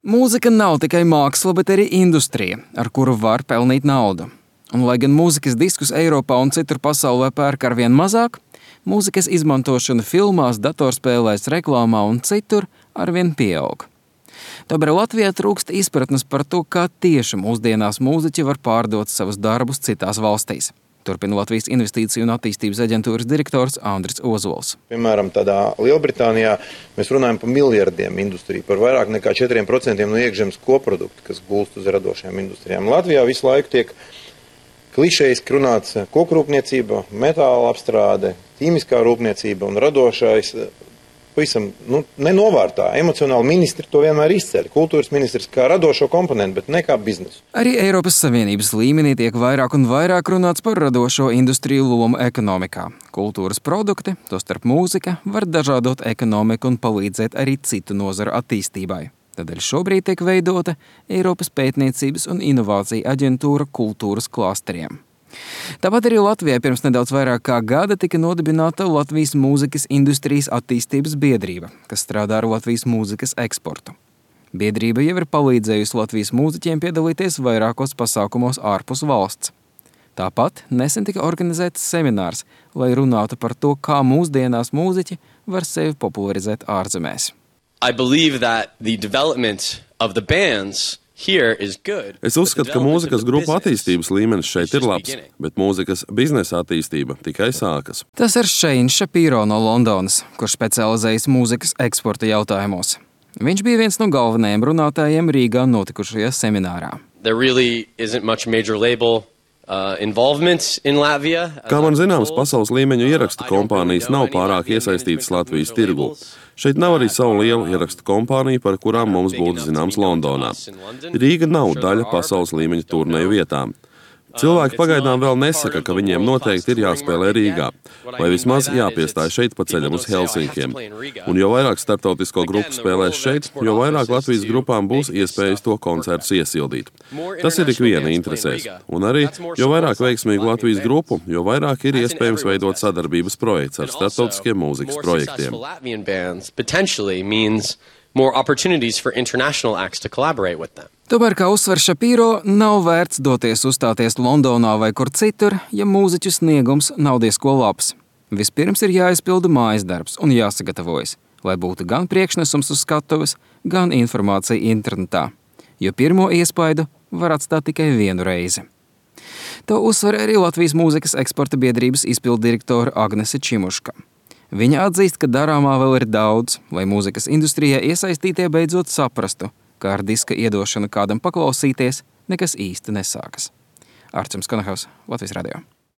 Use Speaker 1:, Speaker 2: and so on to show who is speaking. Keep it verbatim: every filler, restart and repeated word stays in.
Speaker 1: Mūzika nav tikai māksla, bet arī industrija, ar kuru var pelnīt naudu. Un, lai gan mūzikas diskus Eiropā un citur pasaulē pērk arvien mazāk, mūzikas izmantošana filmās, datorspēlēs, reklāmā un citur arvien pieaug. Tomēr Latvijā trūkst izpratnes par to, kā tieši mūsdienās mūziķi var pārdot savus darbus citās valstīs. Turpina Latvijas Investīciju un attīstības aģentūras direktors Andris Ozols.
Speaker 2: Piemēram, tādā Lielbritānijā mēs runājam par miljardiem industriju, par vairāk nekā četriem procentiem no iekšzemes koprodukta, kas gulst uz radošajām industrijām. Latvijā visu laiku tiek klišejiski runāts kokrūpniecība, metāla apstrāde, ķīmiskā rūpniecība un radošais. Pavisam nu, nenovārtā. Emocionāli ministri to vienmēr izceļ. Kultūras ministrs kā radošo komponentu, bet ne kā biznesu.
Speaker 1: Arī Eiropas Savienības līmenī tiek vairāk un vairāk runāts par radošo industriju lomu ekonomikā. Kultūras produkti, tostarp mūzika, var dažādot ekonomiku un palīdzēt arī citu nozaru attīstībai. Tādēļ šobrīd tiek veidota Eiropas pētniecības un inovāciju aģentūra kultūras klasteriem. Tāpat arī Latvijā pirms nedaudz vairāk kā gada tika nodibināta Latvijas mūzikas industrijas attīstības biedrība, kas strādā ar Latvijas mūzikas eksportu. Biedrība jau ir palīdzējusi Latvijas mūziķiem piedalīties vairākos pasākumos ārpus valsts. Tāpat nesen tika organizēts seminārs, lai runātu par to, kā mūsdienās mūziķi var sevi popularizēt ārzemēs.
Speaker 3: I believe that the development of the bands
Speaker 4: Es uzskatu, ka mūzikas grupu attīstības līmenis šeit ir labs, bet mūzikas biznesa attīstība tikai sākas.
Speaker 1: Tas ir Shane Shapiro no Londonas, kurš specializējas mūzikas eksporta jautājumos. Viņš bija viens no galvenajiem runātājiem Rīgā notikušajā seminārā.
Speaker 3: There really isn't much major label uh, involvement in Latvia.
Speaker 4: Kā man zināms, pasaules līmeņa ierakstu kompānijas nav pārāk iesaistītas Latvijas tirgū. Šeit nav arī savu lielu ierakstu kompāniju, par kurām mums būtu zināms Londonā. Rīga nav daļa pasaules līmeņa turnēju vietām. Cilvēki pagaidām vēl nesaka, ka viņiem noteikti ir jāspēlē Rīgā, vai vismaz jāpiestāj šeit pa ceļam uz Helsinkiem. Un jo vairāk starptautisko grupu spēlēs šeit, jo vairāk Latvijas grupām būs iespējas to koncertus iesildīt. Tas ir ikviena interesēs. Un arī, jo vairāk veiksmīgu Latvijas grupu, jo vairāk ir iespējams veidot sadarbības projekts ar starptautiskiem mūzikas projektiem.
Speaker 3: More opportunities for international acts to collaborate with them.
Speaker 1: Tomēr, kā uzsver Shapiro, nav vērts doties uzstāties Londonā vai kur citur, ja mūziķu sniegums nav diezko labs. Vispirms ir jāizpilda mājas darbs un jāsagatavojas, lai būtu gan priekšnesums uz skatuves, gan informācija internetā, jo pirmo iespaidu var atstāt tikai vienu reizi. To uzsver arī Latvijas mūzikas eksporta biedrības izpilddirektora Agnese Čimuška. Viņa atzīst, ka darāmā vēl ir daudz, lai mūzikas industrijā iesaistītie beidzot saprastu, ka ar diska iedošanu kādam paklausīties nekas īsti nesākas. Arčuns Konahaus, Latvijas radio.